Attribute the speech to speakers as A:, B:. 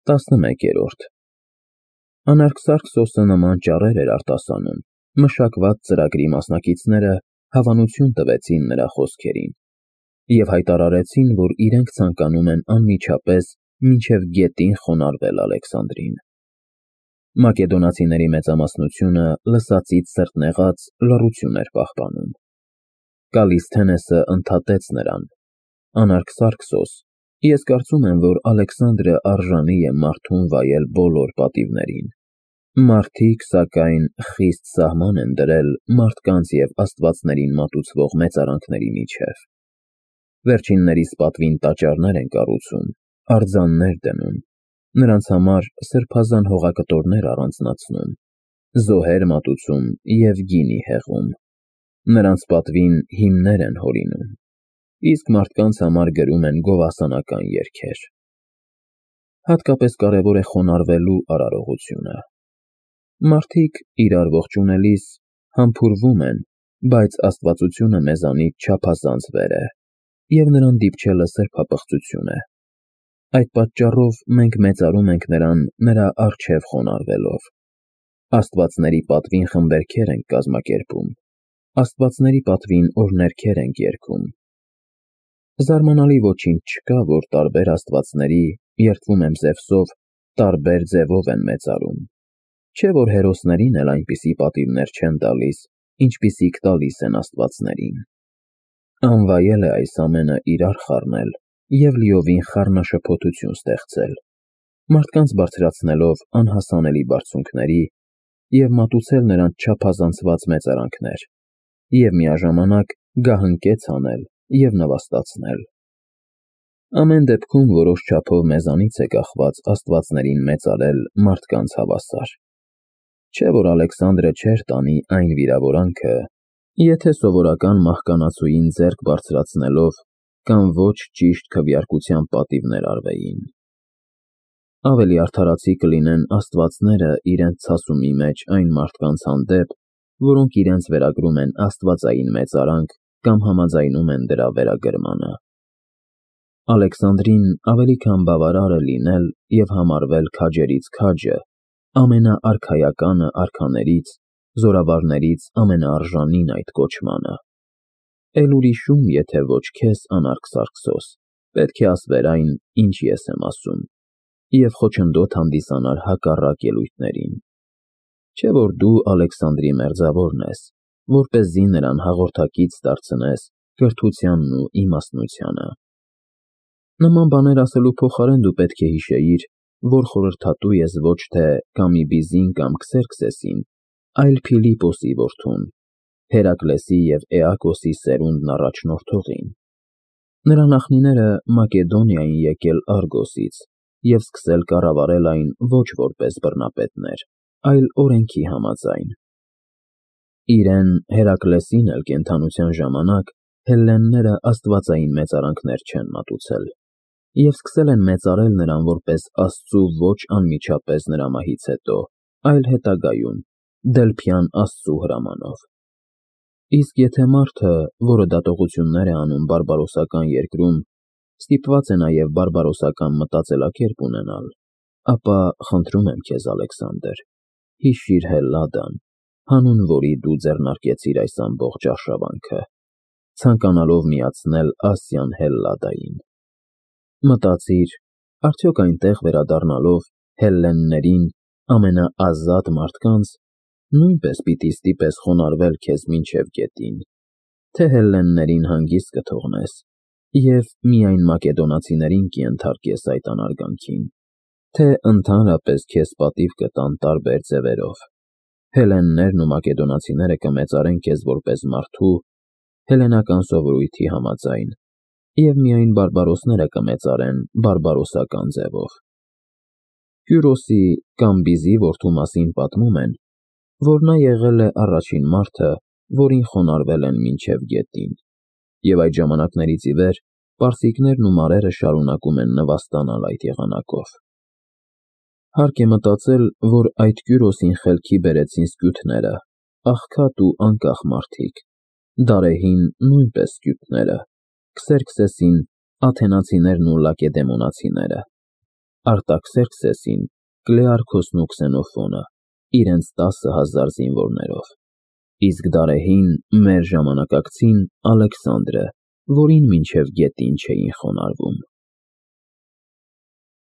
A: 11-րդ Անարգսարքսոսը նման ճառեր էր արտասանում, մշակված ծրագրի մասնակիցները հավանություն տվեցին նրա խոսքերին և հայտարարեցին, որ իրենք ցանկանում են անմիջապես մինչև գետին խոնարհվել Ալեքսանդրին։ Մակեդոնացիների մեծամասնությունը լսածից սրտնեղած լռություն էր պահպանում։ Կալիսթենեսը ընդհատեց նրան. Անարգսարքսոս, ես կարծում եմ, որ Ալեքսանդրը արժանի է մարդուն վայել բոլոր պատիվներին։ Մարդիկ, սակայն, խիստ սահման են դրել մարդկանց և աստվածներին մատուցվող մեծարանքների միջև։ Վերջիններիս պատվին տաճարներ են կառուցում, արձաններ դնում, նրանց համար սրբազան հողակտորներ առանձնացնում, զոհեր մատուցում և գինի հեղում։ Նրանց պատվին հիմներ են հորինում, իսկ մարդկանց համար գրում են գովասանական երգեր։ Հատկապես կարևոր է խոնարհվելու արարողությունը։ Մարդիկ իրար ողջունելիս համբուրվում են, բայց աստվածությունը մեզանից չափազանց վեր է, և նրան դիպչելը սրբապղծություն է։ Այդ պատճառով մենք մեծարում ենք նրան նրա առջև խոնարհվելով։ Աստվածների պատվին խմբերգեր ենք կազմակերպում, աստվածների պատվին օրհներգեր ենք երգում։ Զարմանալի ոչինչ չկա, որ տարբեր աստվածների, երդվում եմ Զևսով, տարբեր ձևով են մեծարում։ Չէ՞ որ հերոսներին էլ այնպիսի պատիվներ չեն տալիս, ինչպիսիք տալիս են աստվածներին։ Անվայել է այս ամենը իրար խառնել և լիովին խառնաշփոթություն ստեղծել, մարդկանց բարձրացնելով անհասանելի բարձունքների և մատուցել նրանց չափազանցված մեծարանքներ, և միաժամանակ գահընկեց անել և նվաստացնել։ Ամեն դեպքում որոշ չափով մեզանից է կախված աստվածներին մեծարել մարդկանց հավասար։ Չէ՞ որ Ալեքսանդրը չէր տանի այն վիրավորանքը, եթե սովորական մահկանացուին ձեռք բարձրացնելով կամ ոչ ճիշտ քվեարկության պատիվներ արվեին։ Ավելի արդարացի կլինեն աստվածները իրենց ցասումի մեջ այն մարդկանց հանդեպ, որոնք իրենց վերագրում են աստվածային մեծարանք կամ համաձայնում են դրա վերագրմանը։ Ալեքսանդրին ավելի քան բավարար է լինել և համարվել քաջերից քաջը, ամենաարքայականը արքաներից, զորավարներից ամենաարժանին այդ կոչմանը։ Էլ ուրիշում, եթե ոչ քեզ, Անարգսարքսոս, պետք է ասվեր այն, ինչ ես եմ ասում, և խոչընդոտ հանդիսանար հակառակ ելույթներին։ Չէ՞ որ դու Ալեքսանդրի մերձավորն ես, որպեսզի նրան հաղորդակից դարձնես կրթությանն ու իմաստնությանը։ Նման բաներ ասելու փոխարեն դու պետք է հիշեիր, որ խորհրդատու ես ոչ թե Կամիբիզին կամ Քսերքսեսին, այլ Փիլիպոսի որդուն, Հերակլեսի և Էակոսի սերունդն առաջնորդողին։ Նրա նախնիները Մակեդոնիա էին եկել Արգոսից և սկսել կառավարել այն ոչ որպես բռնապետներ, այլ օրենքի համաձայն։ Իրեն Հերակլեսին էլ կենդանության ժամանակ հելլենները աստվածային մեծարանքներ չեն մատուցել և սկսել են մեծարել նրան որպես Աստծու ոչ անմիջապես նրա մահից հետո, այլ հետագայում, Դելփյան Աստծու հրամանով։ Իսկ եթե մարդը, որը դատողություններ է անում բարբարոսական երկրում, ստիպված է նաև բարբարոսական մտածելակերպ ունենալ, ապա խնդրում եմ քեզ, Ալեքսանդր, հիշիր Հելլադան, հանուն որի դու ձեռնարկեցիր այս ամբողջ արշավանքը, ցանկանալով միացնել Ասիան Հելլադային։ Մտածիր, արդյոք այնտեղ վերադառնալով հելլեններին, ամենաազատ մարդկանց, նույնպես պիտի ստիպես խոնարհվել քեզ մինչև գետին, թե հելլեններին հանգիստ կթողնես և միայն մակեդոնացիներին կենթարկես այդ անարգանքին, թե ընդհանրապես քեզ պատիվ կտան տարբեր ձևերով։ Հելլեններն ու մակեդոնացիները կմեծարեն քեզ որպես մարդու, հելլենական սովորույթի համաձայն, և միայն բարբարոսները կմեծարեն բարբարոսական ձևով։ Կյուրոսի Կամբիզի որդու մասին պատմում են, որ նա եղել է առաջին մարդը, որին խոնարհվել են մինչև գետին, և այդ ժամանակներից ի վեր պարսիկներն ու մարերը շարունակում են նվաստանալ այդ եղանակով։ Հարկ է մտածել, որ այդ Կյուրոսին խելքի բերեցին սկյութները, աղքատ ու անկախ մարդիկ, Դարեհին նույնպես սկյութները, Քսերքսեսին աթենացիներն ու լակեդեմոնացիները։ Արտաքսերքսեսին, Կլեարքոսն ու Քսենոֆոնը, իրենց 10,000 զինվորներով, իսկ Դարեհին, մեր ժամանակակցին, Ալեքսանդրը, որին մինչև գետին չէին խոնարհվում։